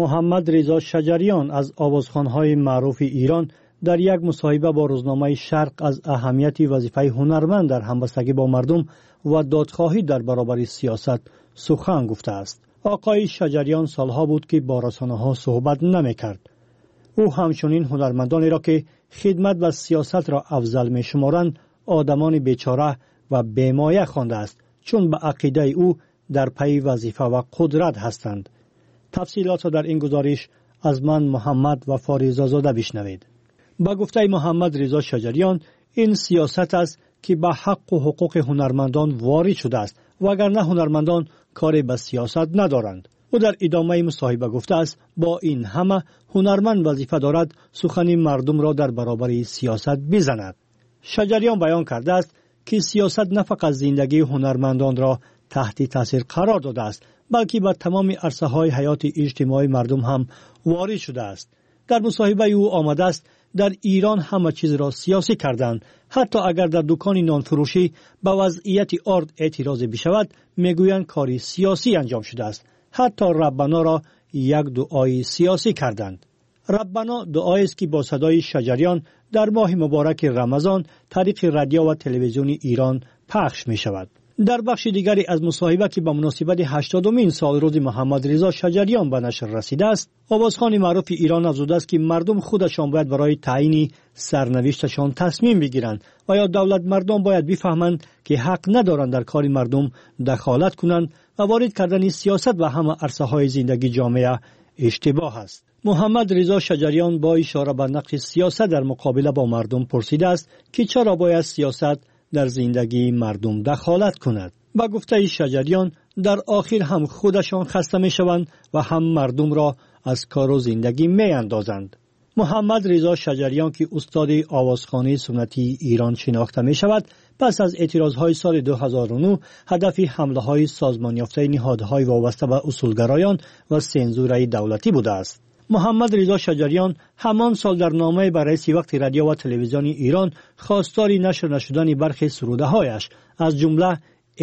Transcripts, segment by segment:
Муҳаммад Ризо Шаҷариён аз овозхонҳои маъруфи Эрон дар як мусоҳиба бо рӯзномаи Шарқ аз аҳамияти вазифаи ҳунарманд дар ҳамбастагӣ бо мардум ва додхоҳӣ дар баробари сиёсат сухан гуфтааст. Оқои Шаҷариён солҳо буд, ки бо расонаҳо суҳбат намекард. Ӯ ҳамчунин ҳунармандонеро, ки хидмат ба сиёсатро афзал мешуморанд, одамони бечора ва бемоя хондааст, чун ба ақидаи ӯ дар пайи вазифа ва қудрат ҳастанд. Тафсилотро дар ин гузориш аз ман Муҳаммад Вафо Ризозода бишнавед. Ба гуфтаи Муҳаммад Ризо Шаҷариён, ин сиёсат аст, ки ба ҳаққу ҳуқуқи ҳунармандон ворид шудааст, вагарна ҳунармандон коре ба сиёсат надоранд. Ӯ дар идомаи мусоҳиба гуфтааст, бо ин ҳама ҳунарманд вазифа дорад сухани мардумро дар баробари сиёсат бизанад. Шаҷариён баён кардааст, ки сиёсат на фақат зиндагии ҳунармандонро таҳти таъсир қарор додааст, балки ба тамоми арсаҳои ҳаёти иҷтимоии мардум ҳам ворид шудааст. Дар мусоҳибаи ӯ омадааст, дар Эрон ҳама чизро сиёсӣ карданд. Ҳатто агар дар дукони нонфурӯшӣ ба вазъияти орд эътирозе бишавад, мегӯянд кори сиёсӣ анҷом шудааст. Ҳатто Раббаноро як дуои сиёсӣ карданд. Раббано дуоест, ки бо садои Шаҷариён дар моҳи мубораки Рамазон тариқи радио ва телевизиони Эрон пахш мешавад. Дар бахши дигаре аз мусоҳиба, ки ба муносибати 80-умин солрӯзи Муҳаммад Ризо Шаҷариён ба нашр расидааст, овозхони маъруфи Эрон афзудааст, ки мардум худашон бояд барои таъйини сарнавишташон тасмим бигиранд ва ё давлатмардон бояд бифаҳманд, ки ҳақ надоранд дар кори мардум дахолат кунанд ва ворид кардани сиёсат ба ҳама арсаҳои зиндагии ҷомеа иштибоҳ аст. Муҳаммад Ризо Шаҷариён бо ишора ба нақши сиёсат дар муқобила бо мардум пурсидааст, ки чаро бояд сиёсат дар зиндагии мардум дахолат кунад. Ба гуфтаи Шаҷариён, дар охир ҳам худашон хаста мешаванд ва ҳам мардумро аз кору зиндагӣ меандозанд. Муҳаммад Ризо Шаҷариён, ки устоди овозхонии суннатии Эрон шинохта мешавад, пас аз эътирозҳои соли 2009 ҳадафи ҳамлаҳои созмонёфтаи ниҳодҳои вобаста ба усулгароён ва сензураи давлатӣ будааст. Муҳаммад Ризо Шаҷариён ҳамон сол дар номае ба раиси вақти радио ва телевизиони Эрон хостори нашр нашудани бархе сурудаҳояш, аз ҷумла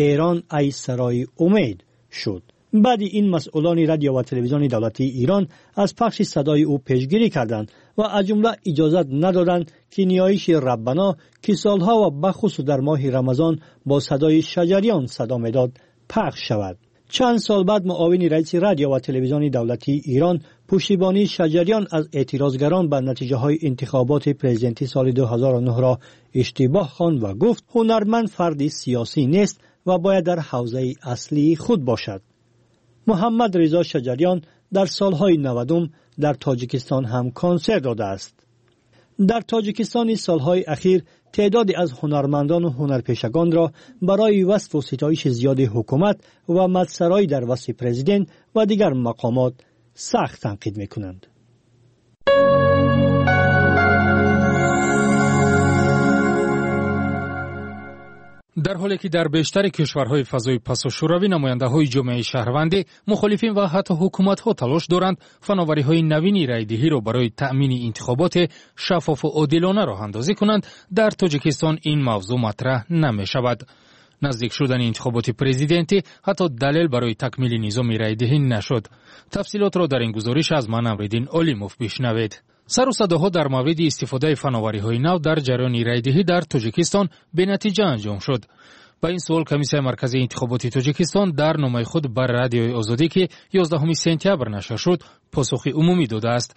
Эрон ай сарои умед шуд. Баъди ин масъулони радио ва телевизиони давлатии Эрон аз пахши садои ӯ пешгирӣ карданд ва аз ҷумла иҷозат надоданд, ки ниёиши Раббано, ки солҳо ва бахусус дар моҳи Рамазон бо садои Шаҷариён садо медод, пахш шавад. Чанд сол баъд муовини раиси радио ва телевизиони давлатии Эрон пуштибонии Шаҷариён аз эътирозгарон ба натиҷаҳои интихоботи президентӣ соли 2009-ро иштибоҳ хонд ва гуфт, ҳунарманд фарди сиёсӣ нест ва бояд дар ҳавзаи аслии худ бошад. Муҳаммад Ризо Шаҷариён дар солҳои 90 дар Тоҷикистон ҳам консерт додааст. Дар Тоҷикистони солҳои ахир теъдоде аз ҳунармандону ҳунарпешагонро барои васфу ситоиши зиёди ҳукумат ва мадсароӣ дар васфи президент ва дигар мақомот сахт танқид мекунанд. Дар ҳоле ки дар бештари кишварҳои фазои пасошӯравӣ намояндаҳои ҷомеаи шаҳрвандӣ, мухолифин ва ҳатто ҳукуматҳо талош доранд фановариҳои навини райдиҳиро барои таъмини интихоботи шаффофу одилона роҳандозӣ кунанд, дар Тоҷикистон ин мавзӯъ матраҳ намешавад. Наздик шудани интихоботи президентӣ ҳатто далел барои такмили низоми райдиҳӣ нашуд. Тафсилотро дар ин гузориш аз ман Амриддин Олимов бишнавед. Сару садоҳо дар мавриди истифодаи фановариҳои нав дар ҷараёни райдиҳӣ дар Тоҷикистон бенатиҷа анҷом шуд. Ба ин суол Комиссияи марказии интихоботи Тоҷикистон дар номаи худ ба Радиои Озодӣ, ки 11 сентябр нашр шуд, посухи умумӣ додааст.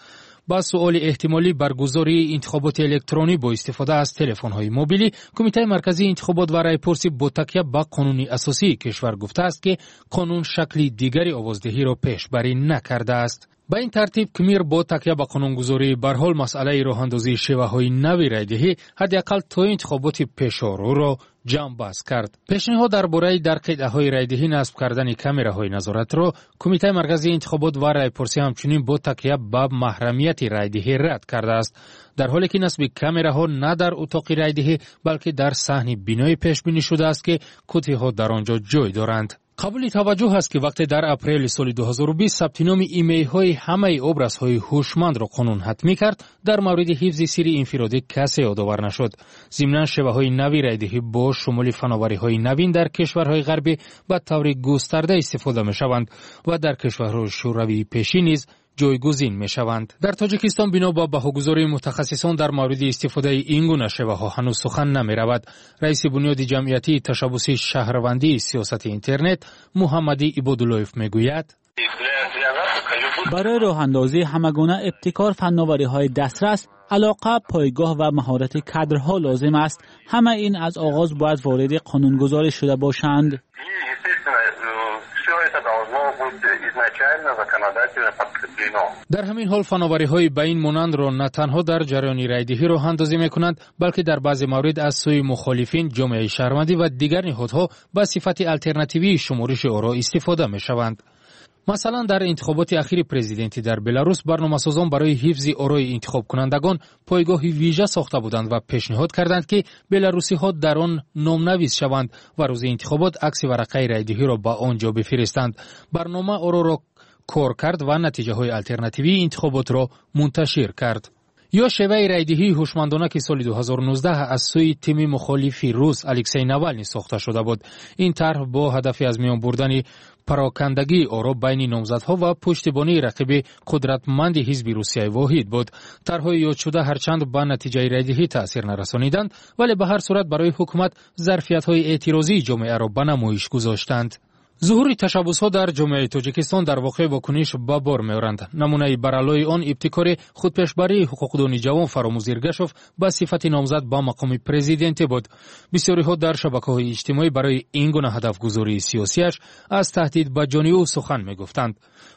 Ба суоли эҳтимолӣ баргузории интихоботи электронӣ бо истифода аз телефонҳои мобилӣ, Кумитаи марказии интихобот ва райпурсӣ бо такя ба қонуни асосии кишвар гуфтааст, ки қонун шакли дигари овоздиҳиро пешбарӣ накардааст. Ба ин тартиб КМИР бо такя ба қонунгузории барҳол масъалаи роҳандозии шеваҳои нави райдиҳӣ ҳадди ақал то интихоботи пешорӯро ҷамъбаст кард. Пешниҳод дар бораи дар қитъаҳои райдиҳӣ насб кардани камераҳои назоратро Кумитаи марказии интихобот ва райпурсӣ ҳамчунин бо такя ба маҳрамияти райдиҳӣ рад кардааст, дар ҳоле ки насби камераҳо на дар утоқи райдиҳӣ, балки дар саҳни бинои пешбинӣ шудааст, ки кутиҳо дар он ҷо ҷой доранд. Қабули таваҷҷӯҳ аст, ки вақте дар апрели соли 2020 сабти номи имейлҳои ҳамаи образҳои ҳушмандро қонун ҳатмӣ кард, дар мавриди ҳифзи сирри инфиродӣ касе ёдовар нашуд. Зимнан шеваҳои нави райдиҳӣ бо шумули фановариҳои навин дар кишварҳои ғарбӣ ба таври густарда истифода мешаванд ва дар кишварҳои шӯравии пешин низ ҷойгузин мешаванд. Дар Тоҷикистон бино ба баҳогузории мутахассисон дар мавриди истифодаи ин гуна шеваҳо ҳанӯз сухан намеравад. Раиси бунёди ҷамъиятии ташаббуси шаҳрвандии сиёсати интернет Муҳаммади Ибодуллоев мегӯяд: Барои роҳандозии ҳамагуна ибтикор фанновариҳои дастрас, алоқа, пойгоҳ ва маҳорати кадрҳо лозим аст. Ҳама ин аз оғоз бояд вориди қонунгузорӣ шуда бошанд. Дар ҳамин ҳол фановариҳои ба ин монандро на танҳо дар ҷараёни райдиҳӣ роҳандозӣ мекунанд, балки дар баъзе маврид аз сӯи мухолифин, ҷомеаи шаҳрвандӣ ва дигар ниҳодҳо ба сифати алтернативии шумориши оро истифода мешаванд. Масалан, дар интихоботи ахири президентӣ дар Беларус барномасозон барои ҳифзи орои интихобкунандагон пойгоҳи вижа сохта буданд ва пешниҳод карданд, ки беларусиҳо дар он номнавис шаванд ва рӯзи интихобот акси варақаи райдиҳиро ба он ҷо бифиристанд. Барнома ороро кор кард ва натиҷаҳои алтернативии интихоботро мунташир кард. Ё шеваи райдиҳии ҳушмандона, ки соли 2019 аз сӯи тими мухолифи рус Алексей Навални сохта шуда буд. Ин тарҳ бо ҳадафи аз миён бурдани парокандагии оро байни номзадҳо ва пуштибонии рақиби қудратманди ҳизби Русияи воҳид буд. Тарҳҳои ёдшуда ҳарчанд ба натиҷаи райдиҳӣ таъсир нарасониданд, вале ба ҳар сурат барои ҳукумат зарфиятҳои эътирозии ҷомеаро ба намоиш гузоштанд. Зуҳури ташаббусҳо дар ҷомеаи Тоҷикистон дар воқеъ вокуниш ба бор меоранд. Намунаи бараллои он ибтикори худпешбарии ҳуқуқдони ҷавон Фаромӯз Иргашов ба сифати номзад ба мақоми президентӣ буд. Бисёриҳо дар шабакаҳои иҷтимоӣ барои ин гуна ҳадафгузории сиёсиаш аз таҳдид ба ҷони ӯ сухан мегуфтанд.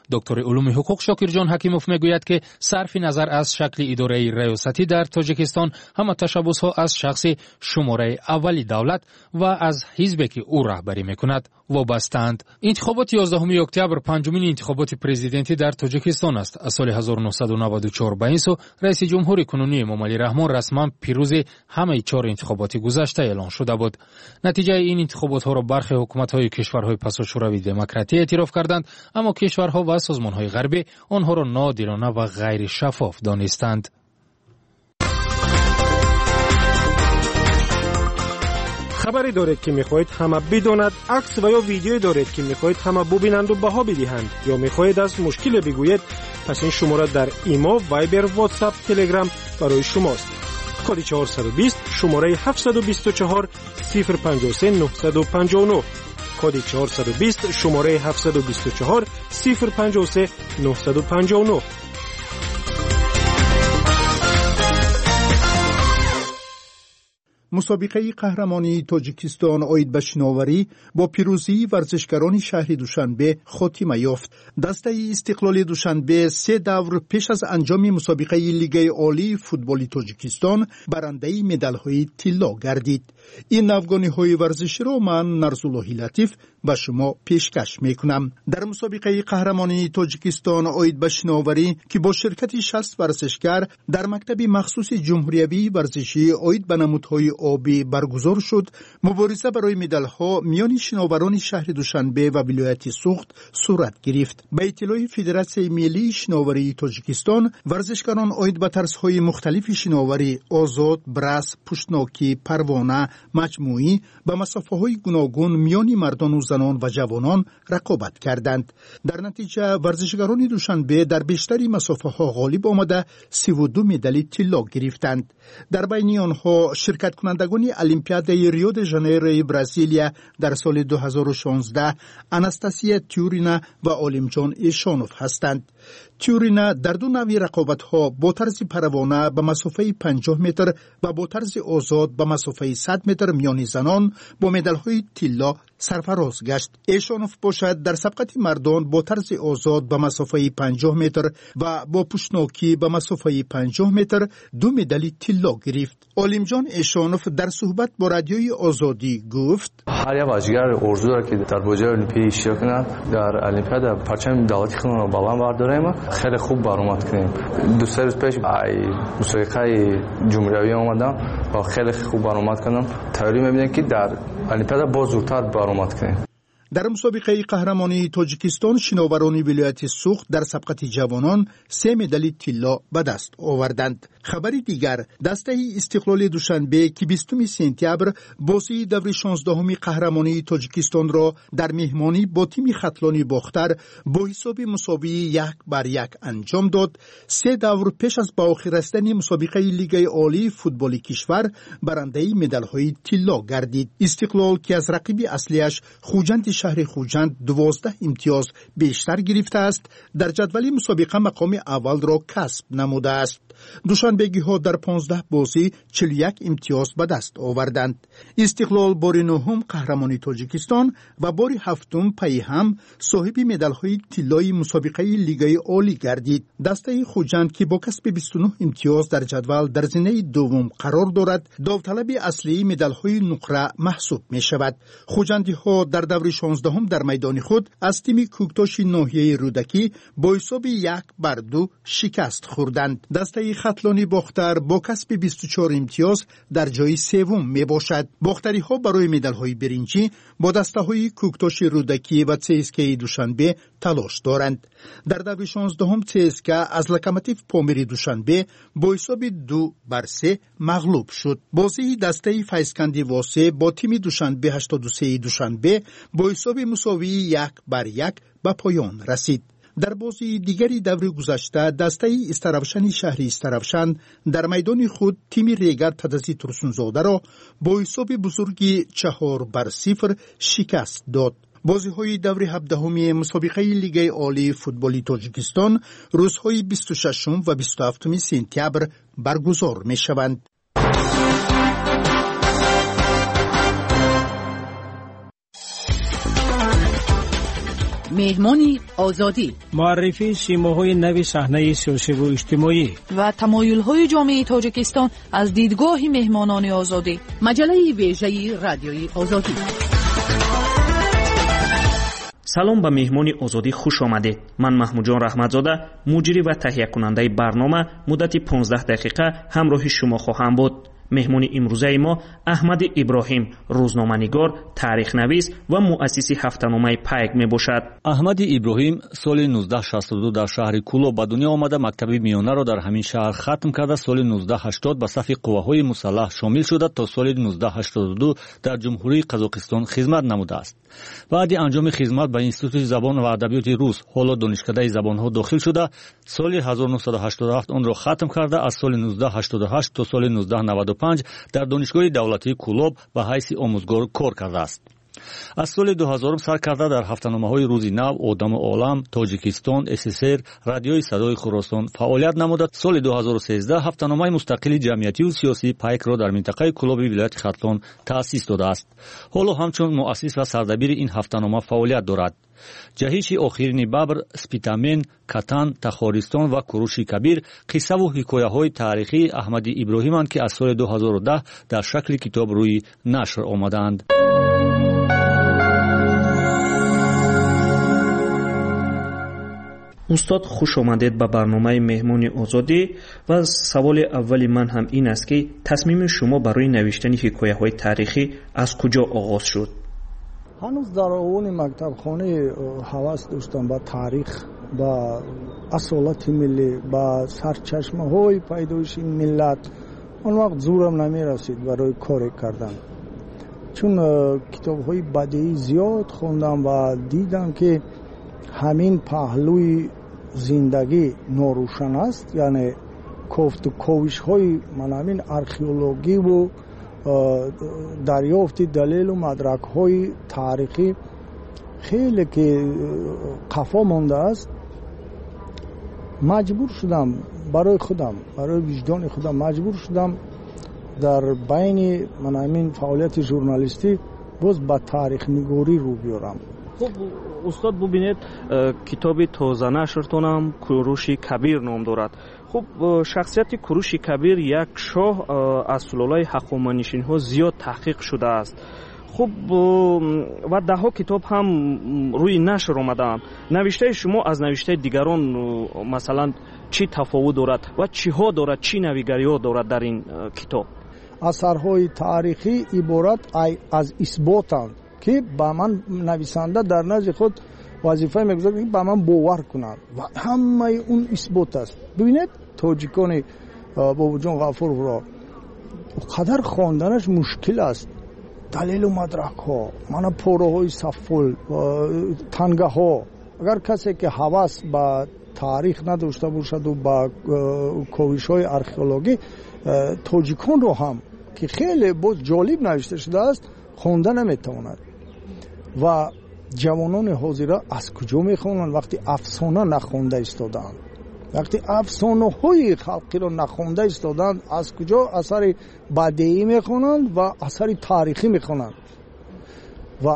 Доктори улуми ҳуқуқ Шокирҷон Ҳакимов мегӯяд, ки сарфи назар аз шакли идораи раёсатӣ дар Тоҷикистон ҳама ташаббусҳо аз шахси шумораи аввали давлат ва аз ҳизбе, ки ӯ раҳбарӣ мекунад, вобастаанд. Интихоботи 11 октябр панҷумин интихоботи президентӣ дар Тоҷикистон аст. Аз соли 1994 ба ин сӯ раиси ҷумҳури кунунӣ Эмомалӣ Раҳмон расман пирӯзи ҳамаи чор интихоботи гузашта эълон шуда буд. Натиҷаи ин интихоботҳоро бархе ҳукуматҳои кишварҳои пасошӯравии демократӣ эътироф карданд, аммо кишварҳо ва созмонҳои ғарбӣ онҳоро ноодилона ва ғайришаффоф донистанд. Хабаре доред, ки мехоҳед ҳама бидонад, акс ва ё видеое доред, ки мехоҳед ҳама бубинанду баҳо бидиҳанд, ё мехоҳед аз мушкиле бигӯед, пас ин шумора дар Имо, Вайбер, Ватсап, Телеграм барои шумост. Коди 420, шумораи 724 053 959. Коди 420, шумораи 724 053 959. Мусобиқаи қаҳрамонии Тоҷикистон оид ба шиноварӣ бо пирӯзии варзишгарони шаҳри Душанбе хотима ёфт. Дастаи Истиқлоли Душанбе се давр пеш аз анҷоми мусобиқаи Лигаи олии футболи Тоҷикистон барандаи медалҳои тилло гардид. Ин навгониҳои варзиширо ман, Нарзуллоҳи Латиф, ба шумо пешкаш мекунам. Дар мусобиқаи қаҳрамонии Тоҷикистон оид ба шиноварӣ, ки бо ширкати 60 варзишгар дар мактаби махсуси ҷумҳуриявии варзишӣ оид ба намудҳои обӣ баргузор шуд, мубориза барои медалҳо миёни шиноварони шаҳри Душанбе ва вилояти Суғд сурат гирифт. Ба иттилои Федератсияи миллии шиноварии Тоҷикистон, варзишгарон оид ба тарзҳои мухталифи шиноварӣ озод, брас, пуштнокӣ, парвона, маҷмӯӣ ба масофаҳои гуногун миёни мардону занон ва ҷавонон рақобат карданд. Дар натиҷа варзишгарони Душанбе дар бештари масофаҳо ғолиб омада, 32 медали тилло гирифтанд. Дар байни онҳо ширкаткунандагони Олимпиадаи Рио де Жанейрои Бразилия дар соли 2016 Анастасия Тюрина ва Олимҷон Эшонов ҳастанд. Тюрина дар ду навъи рақобатҳо бо тарзи парвона ба масофаи 50 метр ва бо тарзи озод ба масофаи 100 метр миёни занон бо медалҳои тилло сарфароз гашт. Эшонов бошад, дар сабқати мардон бо тарзи озод ба масофаи 50 метр ва бо пуштнокӣ ба масофаи 50 метр ду медали тилло гирифт. Олимҷон Эшонов дар суҳбат бо Радиои Озодӣ гуфт: Ҳар як варзишгар орзу дорад, ки дар бозиҳои олимпӣ иштирок кунад, дар олимпиада парчами давлати худро баланд бардорем, хеле хуб баромад кунем. 2-3 рӯз пеш мусобиқаи ҷумҳуриявӣ омадам ва хеле хуб баромад кардам. Тайёрӣ мебинем, ки дар олимпиада боз зудтар баромад кунем. Дар мусобиқаи қаҳрамонии Тоҷикистон шиноварони вилояти Суғд дар сабқати ҷавонон 3 медали тилло ба даст оварданд. Хабари дигар, дастаи Истиқлоли Душанбе, ки 20 сентябр бозии даври 16-уми қаҳрамонии Тоҷикистонро дар меҳмонӣ бо тими Хатлони Бохтар бо ҳисоби мусовии 1-1 анҷом дод, 3 давр пеш аз ба охир расидани мусобиқаи Лигаи олии футболи кишвар барандаи медалҳои тилло гардид. Истиқлол, ки аз рақиби аслиаш Хуҷанди шаҳри Хуҷанд 12 имтиёз бештар гирифтааст, дар ҷадвали мусобиқа мақоми аввалро касб намудааст. Душанбегиҳо дар 15 бозӣ 41 имтиёз ба даст оварданд. Истиқлол бори 9-ум қаҳрамони Тоҷикистон ва бори 7-ум пайи ҳам соҳиби медалҳои тиллои мусобиқаи Лигаи олӣ гардид. Дастаи Хуҷанд, ки бо касби 29 имтиёз дар ҷадвал дар зинаи дуввум қарор дорад, довталаби аслии медалҳои нуқра маҳсуб мешавад. Хуҷандиҳо дар даври 16-ум дар майдони худ аз тими Кӯктоши ноҳияи Рӯдакӣ бо ҳисоби 1-2 шикаст хӯрданд. Дастаи Хатлони Бохтар бо касби 24 имтиёз дар ҷои севум мебошад. Бохтариҳо барои медалҳои биринҷӣ бо дастаҳои Кӯктоши Рӯдакӣ ва ЦСКАи Душанбе талош доранд. Дар даври 16-ум ЦСКА аз Локомотив Помири Душанбе бо ҳисоби 2-3 мағлуб шуд. Бозии дастаи Файзканди Восе бо тими Душанбе 83 Душанбе бо ҳисоби мусовии 1-1 ба поён расид. Дар бозии дигари даври гузашта дастаи Истаравшани шаҳри Истаравшан дар майдони худ тими Регар Тадази Турсунзодаро бо ҳисоби бузурги 4-0 шикаст дод. Бозиҳои даври 17-уми мусобиқаи Лигаи олии футболи Тоҷикистон рӯзҳои 26 ва 27 сентябр баргузор мешаванд. Меҳмони Озодӣ, муаррифии симоҳои нави саҳнаи сиёсиву иҷтимоӣ ва тамоюлҳои ҷомеаи Тоҷикистон аз дидгоҳи меҳмонони Озодӣ. Маҷаллаи вежаи Радиои Озодӣ. Салом, ба меҳмони Озодӣ хуш омадед. Ман Маҳмудҷон Раҳматзода, муҷрӣ ва таҳиякунандаи барнома, муддати 15 дақиқа ҳамроҳи шумо хоҳам буд. Меҳмони имрӯзаи мо Аҳмади Иброҳим, рӯзноманигор, таърихнавис ва муассиси ҳафтаномаи Пайк мебошад. Аҳмади Иброҳим соли 1962 дар шаҳри Кӯлоб ба дунё омада, мактаби миёнаро дар ҳамин шаҳр хатм карда, соли 1980 ба сафи қувваҳои мусаллаҳ шомил шуда, то соли 1982 дар Ҷумҳурии Қазоқистон хизмат намудааст. Баъди анҷоми хизмат ба Институти забон ва адабиёти рус, ҳоло Донишкадаи забонҳо дохил шуда, соли 1987 онро хатм карда, аз соли 1988 то соли 1995 дар Донишгоҳи давлатии Кӯлоб ба ҳайси омӯзгор кор кардааст. Аз соли 2000 сар карда дар ҳафтаномаҳои Рӯзи нав, Одаму олам, Тоҷикистон, СССР, Радиои садои Хуросон фаъолият намуда, соли 2013 ҳафтаномаи мустақили ҷамъиятиву сиёсии Пайкро дар минтақаи Кӯлоби вилояти Хатлон таъсис додааст. Ҳоло ҳамчун муассис ва сардабири ин ҳафтанома фаъолият дорад. Ҷаҳиши охирини бабр, Спитамен, Катан, Тахористон ва Куруши Кабир қиссаву ҳикояҳои таърихии Аҳмади Иброҳиманд, ки аз соли 2010 дар шакли китоб рӯи нашр омадаанд. Устод, хуш омадед ба барномаи Меҳмони Озодӣ. Ва саволи аввали ман ҳам ин аст, ки тасмими шумо барои навиштани ҳикояҳои таърихӣ аз куҷо оғоз шуд? Ҳанӯз дар овони мактабхона ҳавас доштам ба таърих, ба асолати миллӣ, ба сарчашмаҳои пайдоиши миллат. Он вақт зӯрам намерасид барои коре кардан, чун китобҳои бадеӣ зиёд хондам ва дидам, ки ҳамин паҳлӯи зиндагӣ норӯшан аст, яъне кофту ковишҳои ман ҳамин археологиву дарёфти далелу мадракҳои таърихӣ хеле ки қафо мондааст. Маҷбур шудам барои худам, барои виҷдони худам маҷбур шудам дар байни ман ҳамин фаъолияти журналистӣ боз ба таърихнигорӣ рӯ биёрам. Хуб, устод, бубинед, китоби тозанашртонам Куруши Кабир ном дорад. Хуб, шахсияти Куруши Кабир, як шоҳ аз сулолаи ҳақоманишинҳо, зиёд таҳқиқ шудааст. Хуб, ва даҳҳо китоб ҳам рӯи нашр омадаанд. Навиштаи шумо аз навиштаи дигарон, масалан, чӣ тафовут дорад ва чиҳо дорад, чӣ навигариҳо дорад дар ин китоб? Асарҳои таърихӣ иборат аз исботанд. Ки ба ман нависанда дар назди худ вазифае мегузорад, ки ба ман бовар кунад, ва ҳамаи он исбот аст. Бибинед, тоҷикони Бобоҷон Ғафуровро қадар хонданаш мушкил аст. Далелу мадракҳо, мана пораҳои саффол, тангаҳо. Агар касе ки ҳавас ба таърих надошта бошаду ба ковишҳои археологӣ, тоҷиконро ҳам, ки хеле боз ҷолиб навишта шудааст, хонда наметавонад. Ва ҷавонони ҳозира аз куҷо мехонанд, вақте афсона нахонда истодаанд, вақте афсонаҳои халқиро нахонда истодаанд, аз куҷо асари бадеӣ мехонанд ва асари таърихӣ мехонанд? Ва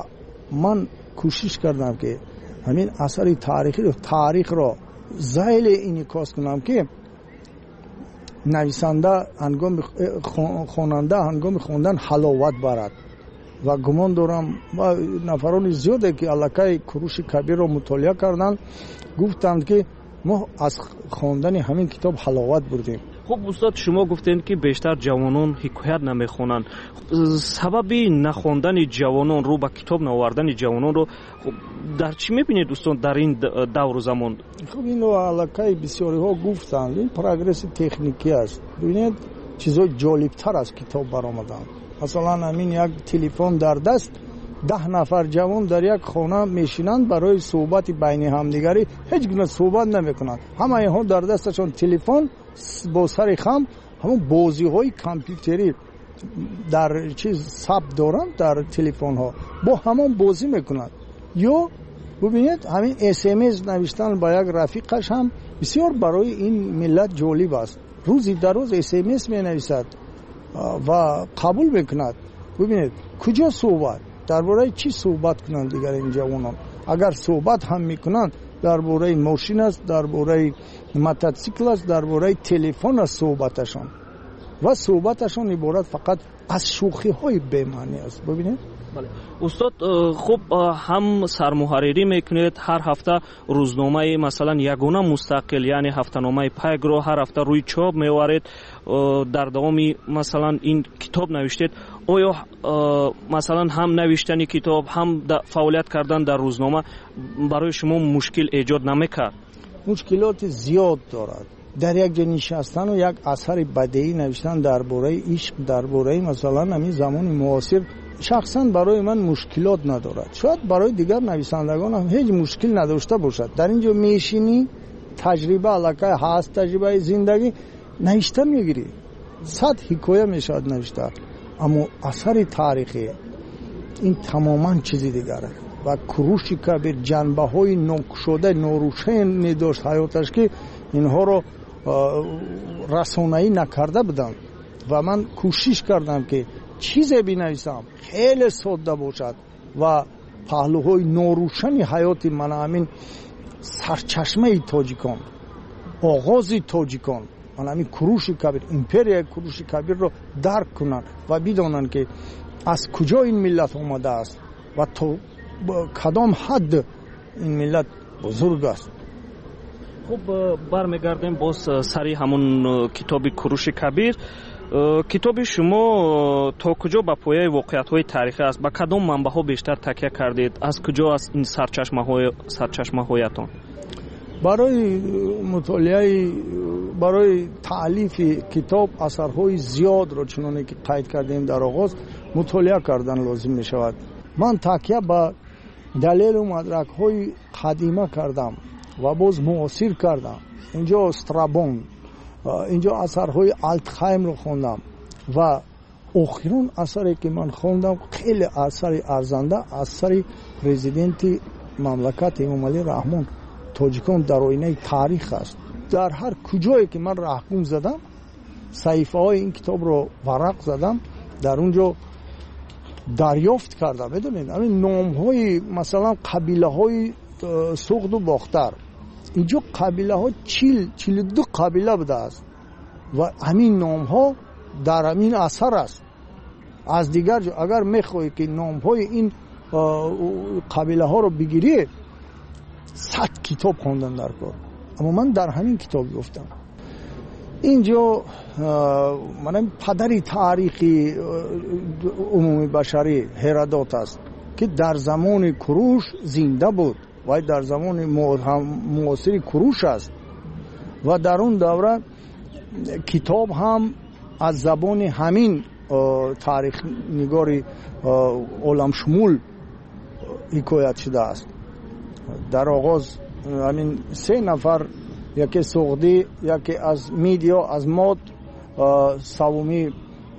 ман кӯшиш кардам, ки ҳамин асари таърихро зайле инъикос кунам, ки нависанда ҳангоми хонанда ҳангоми хондан ҳаловат барад. Ва гумон дорам, нафарони зиёде ки аллакай Куруши Кабирро мутолиа карданд, гуфтанд, ки мо аз хондани ҳамин китоб ҳаловат бурдем. Хуб, устод, шумо гуфтед, ки бештар ҷавонон ҳикоят намехонанд. Сабаби нахондани ҷавонон, рӯ ба китоб наовардани ҷавононро дар чӣ мебинед, устод, дар ин давру замон? Хуб, инро аллакай бисёриҳо гуфтанд, ин прогресси техникӣ аст. Бибинед, чизҳои ҷолибтар аз китоб баромаданд. Масалан, ҳамин як телефон дар даст, 10 нафар ҷавон дар як хона мешинанд, барои суҳбати байни ҳамдигарӣ ҳеҷ гуна суҳбат намекунанд. Ҳама инҳо дар дасташон телефон, бо сари хам ҳамон бозиҳои компютерӣ дар чиз сабт доранд, дар телефонҳо бо ҳамон бозӣ мекунанд. Ё бубинед, ҳамин СМС навиштан ба як рафиқаш ҳам бисёр барои ин миллат ҷолиб аст. Рӯзи дар рӯз СМС менависад ва қабул мекунад. Бубинед, куҷо суҳбат, дар бораи чӣ суҳбат кунанд дигар ин ҷавонон? Агар суҳбат ҳам мекунанд, дар бораи мошин аст, дар бораи мототсикл аст, дар бораи телефон аст суҳбаташон. Ва суҳбаташон иборат фақат аз шӯхиҳои бемаънӣ аст. Бубинед. Бале, устод, хуб, ҳам сармуҳаррирӣ мекунед, ҳар ҳафта рӯзномаи, масалан, ягона мустақил, яъне ҳафтаномаи Пайкро ҳар ҳафта рӯи чоп меоваред. Дар давоми, масалан, ин китоб навиштед. Оё, масалан, ҳам навиштани китоб, ҳам фаъолият кардан дар рӯзнома барои шумо мушкил эҷод намекард? Мушкилоти зиёд дорад. Дар як ҷо нишастану як асари бадеӣ навиштан дар бораи ишқ, дар бораи, масалан, ҳамин замони муосир, шахсан барои ман мушкилот надорад. Шояд барои дигар нависандагон ҳам ҳеҷ мушкил надошта бошад. Дар ин ҷо мешинӣ, таҷриба аллакай ҳаст, таҷрибаи зиндагӣ, навишта мегирӣ, 100 ҳикоя мешавад навишта. Аммо асари таърихӣ ин тамоман чизи дигар аст. Ва Куруши Кабир ҷанбаҳои нокушода, норӯшане дошт ҳаёташ, ки инҳоро расонаӣ накарда буданд. Ва ман кӯшиш кардам, ки чизе бинависам хеле содда бошад ва паҳлӯҳои норӯшани ҳаёти мана ҳамин сарчашмаи тоҷикон, оғози тоҷикон, мана ҳамин Куруши Кабир, империяи Куруши Кабирро дарк кунанд ва бидонанд, ки аз куҷо ин миллат омадааст ва то кадом ҳадд ин миллат бузург аст. Хуб, бармегардем боз сари ҳамон китоби Куруши Кабир. Китоби шумо то куҷо ба пояи воқеиятҳои таърихӣ аст? Ба кадом манбаъҳо бештар такя кардед? Аз куҷо аст ин сарчашмаҳоятон? Барои мутолиаи, барои таълифи китоб асарҳои зиёдро, чуноне ки қайд кардем дар оғоз, мутолиа кардан лозим мешавад. Ман такя ба далелу мадракҳои қадима кардам ва боз муосир кардам. Инҷо Страбон, инҷо асарҳои Алтхаймро хондам ва охирон асаре ки ман хондам, хеле асари арзанда, асари президенти мамлакат Эмомалӣ Раҳмон, «Тоҷикон дар оинаи таърих» аст. Дар ҳар куҷое ки ман раҳгум задам, саҳифаҳои ин китобро варақ задам, дар он ҷо дарёфт кардам, медонед, ҳамин номҳои, масалан, қабилаҳои Суғду Бохтар. Инҷо қабилаҳо 42 қабила будааст ва ҳамин номҳо дар ҳамин асар аст. Аз дигар ҷо агар мехоҳӣ, ки номҳои ин қабилаҳоро бигирӣ, 100 китоб хондан дар кор. Аммо ман дар ҳамин китоб ёфтам. Инҷо мана падари таърихи умумибашарӣ Ҳеродот аст, ки ки дар замони Куруш зинда буд, вай дар замони муосири Куруш аст ва дар он давра китоб ҳам аз забони ҳамин таърихнигори оламшумул ҳикоят шудааст. Дар оғоз ҳамин се нафар, яке суғдӣ, яке аз Мидиё, аз Мод, савумӣ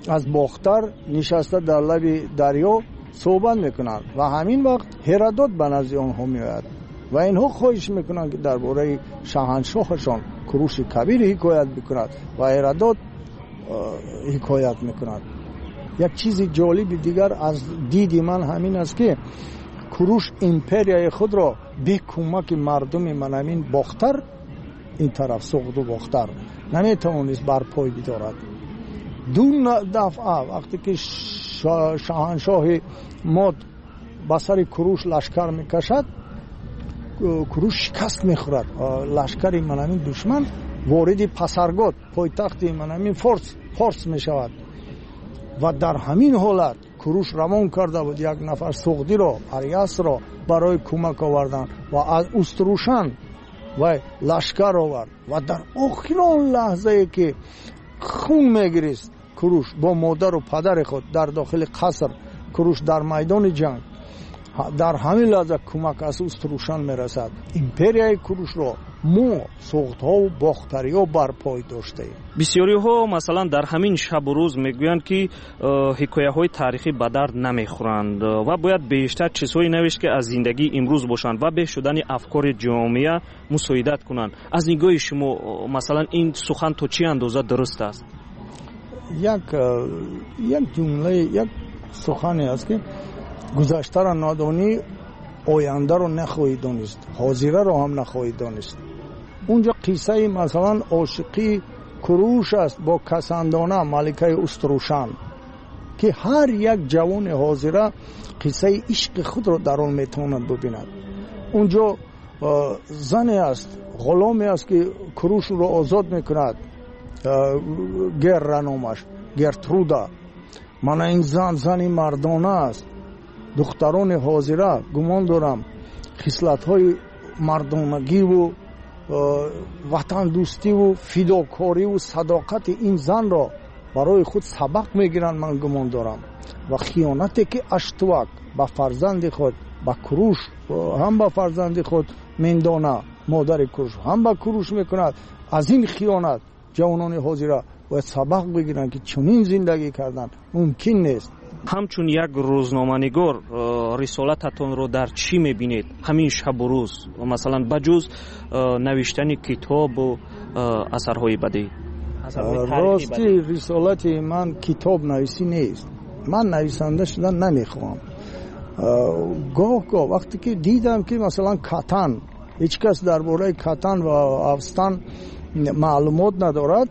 аз Бохтар, нишаста дар лаби дарё суҳбат мекунанд ва ҳамин вақт Ҳеродот ба назди онҳо меояд ва инҳо хоҳиш мекунанд, ки дар бораи шаҳаншоҳашон Куруши Кабир ҳикоят бикунад ва Ҳеродот ҳикоят мекунад. Як чизи ҷолиби дигар аз диди ман ҳамин аст, ки Куруш империяи худро бе кӯмаки мардуми манамин Бохтар, ин тараф Суғду Бохтар, наметавонист барпой бидорад. Ду дафъа вақте ки шоҳаншоҳи Мод ба сари Куруш лашкар мекашад, Куруш шикаст мехӯрад. Лашкари манамин душман вориди Пасаргод, пойтахти манамин Форс мешавад ва дар ҳамин ҳолат Куруш равон карда буд як нафар суғдиро, Ариасро, барои кӯмак овардан ва аз Уструшан вай лашкар овард ва дар охирон лаҳзае ки хун мегирист Куруш бо модару падари худ дар дохили қаср, Куруш дар майдони ҷанг, дар ҳамин лаҳза кӯмак аз Уструшан мерасад. Империяи Курушро мо суғдҳову бохтариҳо барпой доштаем. Бисёриҳо масалан дар ҳамин шабу рӯз мегӯянд, ки ҳикояҳои таърихӣ ба дард намехӯранд ва бояд бештар чизҳое навишт, ки аз зиндагии имрӯз бошанд ва беҳ шудани афкори ҷомеа мусоидат кунанд. Аз нигоҳи шумо, масалан, ин сухан то чӣ андоза дуруст аст? Як ҷумлаи, як сухане аст, ки гузаштаро надонӣ, ояндаро нахоҳӣ донист, ҳозираро ҳам нахоҳӣ донист. Унҷо қиссаи масалан ошиқии Куруш аст бо Касандона, маликаи Уструшан, ки ҳар як ҷавони ҳозира қиссаи ишқи худро дар он метавонад бубинад. Унҷо зане аст, ғуломе аст, ки Куруш ӯро озод мекунад, Герра номаш, Гертруда. Мана ин зан зани мардона аст. Духтарони ҳозира, гумон дорам, хислатҳои мардонагиву ватандӯстиву фидокориву садоқати ин занро барои худ сабақ мегиранд, ман гумон дорам. Ва хиёнате ки Аштувак ба фарзанди худ, ба Куруш, ҳам ба фарзанди худ Мендона, модари Куруш, ҳам ба Куруш мекунад, аз ин хиёнат ҷавонони ҳозира бояд сабақ бигиранд, ки чунин зиндагӣ кардан мумкин нест. Ҳамчун як рӯзноманигор рисолататонро дар чӣ мебинед ҳамин шабу рӯз, масалан ба ҷуз навиштани китобу асарҳои бадеӣ? Рости, рисолати ман китоб нависӣ нест. Ман нависанда шудан намехоҳам. Гоҳ гоҳ вақте ки дидам, ки масалан Катан, ҳеҷ кас дар бораи Катан ва Афстан маълумот надорад,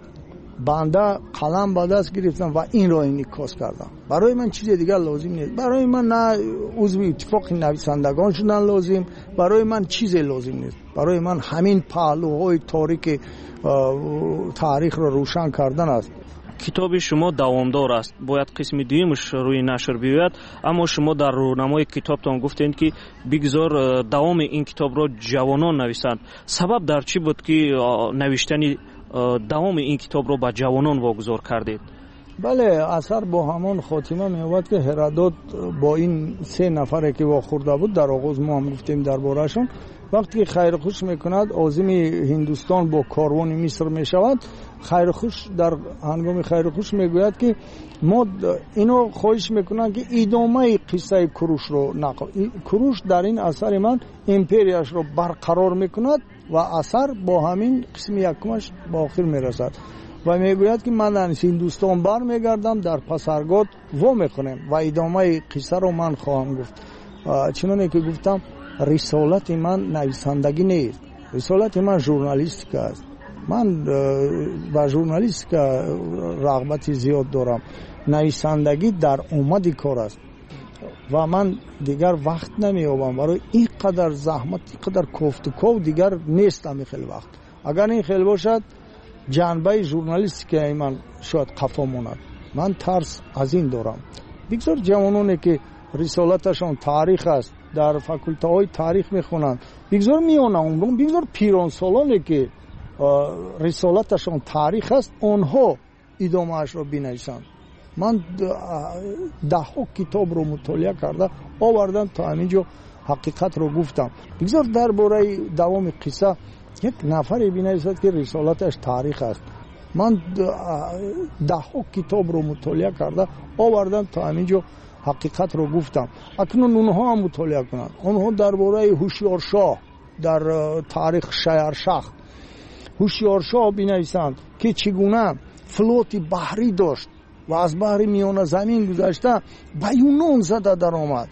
банда қалам ба даст гирифтам ва инро инъикос кардам. Барои ман чизе дигар лозим нест. Барои ман на узви иттифоқи нависандагон шудан лозим, барои ман чизе лозим нест. Барои ман ҳамин паҳлӯҳои торики таърихро рӯшан кардан аст. Китоби шумо давомдор аст, бояд қисми дуюмаш рӯи нашр биёяд, аммо шумо дар рӯнамои китобтон гуфтед, ки бигзор давоми ин китобро ҷавонон нависанд. Сабаб дар чӣ буд, ки навиштани давоми ин китобро ба ҷавонон вогузор кардед? Бале, асар бо ҳамон хотима меёбад, ки Ҳеродот бо ин се нафаре ки вохӯрда буд, дар оғоз мо ҳам гуфтем дар бораашон, вақте ки хайрухуш мекунад, озими Ҳиндустон бо корвони Миср мешавад. Хайрухуш, дар ҳангоми хайрухуш мегӯяд, ки мо ино хоҳиш мекунанд, ки идомаи қиссаи Курушро нақл. Куруш дар ин асари ман империяшро барқарор мекунад ва асар бо ҳамин қисми якумаш ба охир мерасад ва мегӯяд, ки ман аз Ҳиндустон бармегардам, дар Пасаргод вомехӯрем ва идомаи қиссаро ман хоҳам гуфт. Чуноне ки гуфтам, рисолати ман нависандагӣ нест, рисолати ман журналистика аст. Ман ба журналистика рағбати зиёд дорам. Нависандагӣ дар омади кор аст ва ман дигар вақт намеёбам барои ин қадар заҳмат, ин қадар кофтуков дигар нест ҳамин хел вақт. Агар ин хел бошад, ҷанбаи журналистикаи ман шояд қафо монад. Ман тарс аз ин дорам. Бигзор ҷавононе ки рисолаташон таърих аст, дар факултаҳои таърих мехонанд, бигзор миёнаумрон, бигзор пиронсолоне ки рисолаташон таърих аст, онҳо идомаашро бинависанд. Ман даҳҳо китобро мутолиа карда овардам, то ҳамин ҷо ҳақиқатро гуфтам. Бигзор дар бораи давоми қисса як нафаре бинависад, ки рисолаташ таърих аст. Ман даҳҳо китобро мутолиа карда овардам, то ҳамин ҷо ҳақиқатро гуфтам. Акнун онҳо ҳам мутолиа кунанд. Онҳо дар бораи ҳушёршоҳ дар таърих Шаяршах ҳушёршоҳ бинависанд, ки чӣ гуна флоти баҳрӣ дошт ва аз баҳри Миёназамин гузашта ба Юнон зада даромад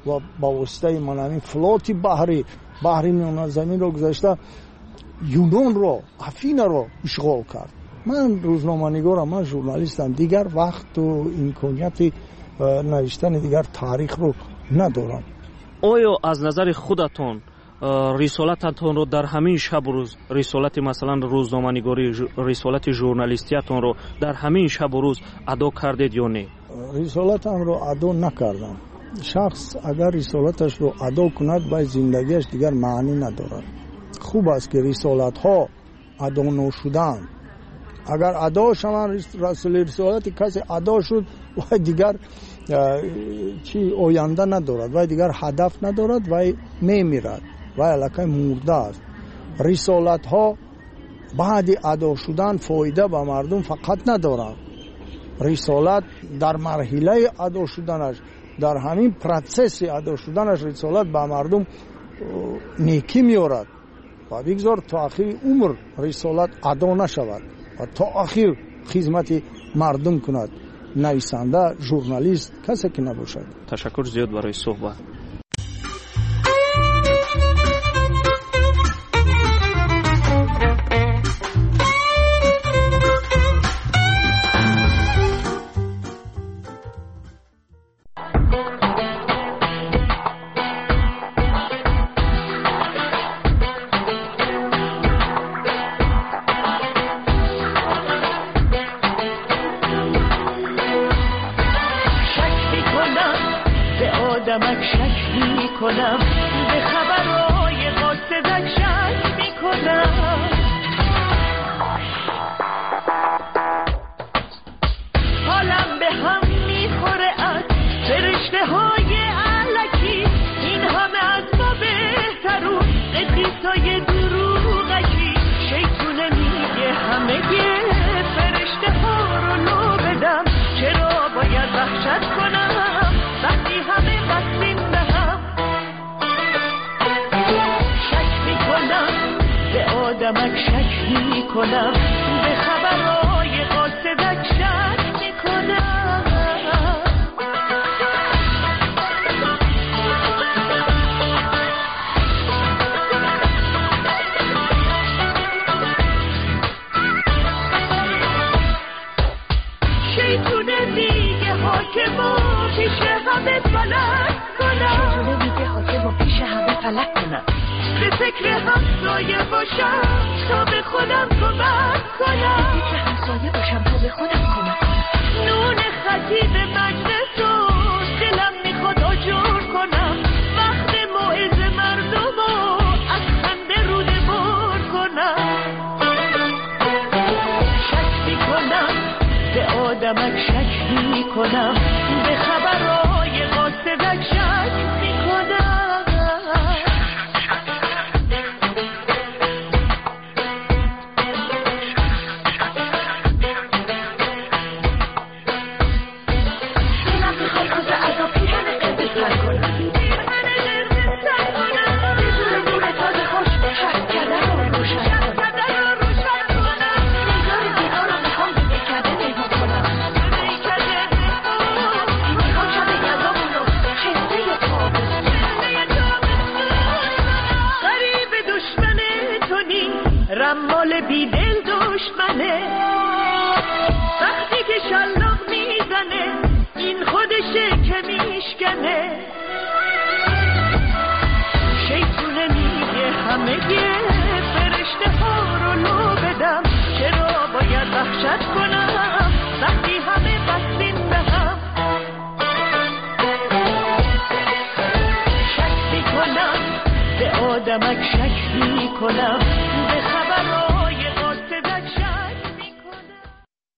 ва ба воситаи манамин флоти баҳрӣ баҳри Миёназаминро гузашта Юнонро, Афинаро ишғол кард. Ман рӯзноманигорам, ман журналистам, дигар вақту имконияти навиштани дигар таърихро надорам. Оё аз назари худатон рисолататонро дар ҳамин шабу рӯз, рисолати масалан рӯзноманигорӣ, рисолати журналистиятонро дар ҳамин шабу рӯз адо кардед ё не? Рисолатамро адо накардам. Шахс агар рисолаташро адо кунад, вай зиндагиаш дигар маънӣ надорад. Хуб аст, ки рисолатҳо адо ношудаанд. Агар адо шаванд, рисолати касе адо шуд, вай дигар чӣ оянда надорад, вай дигар ҳадаф надорад, вай мемирад, вай аллакай мурда аст. Рисолатҳо баъди адо шудан фоида ба мардум фақат надоранд. Рисолат дар марҳилаи адо шуданаш, дар ҳамин процесси адо шуданаш рисолат ба мардум некӣ меорад ва бигзор то ахири умр рисолат адо нашавад ва то ахир хизмати мардум кунад нависанда, журналист, касе ки набошад. Ташаккур зиёд барои суҳбат. کمک شک میکنم.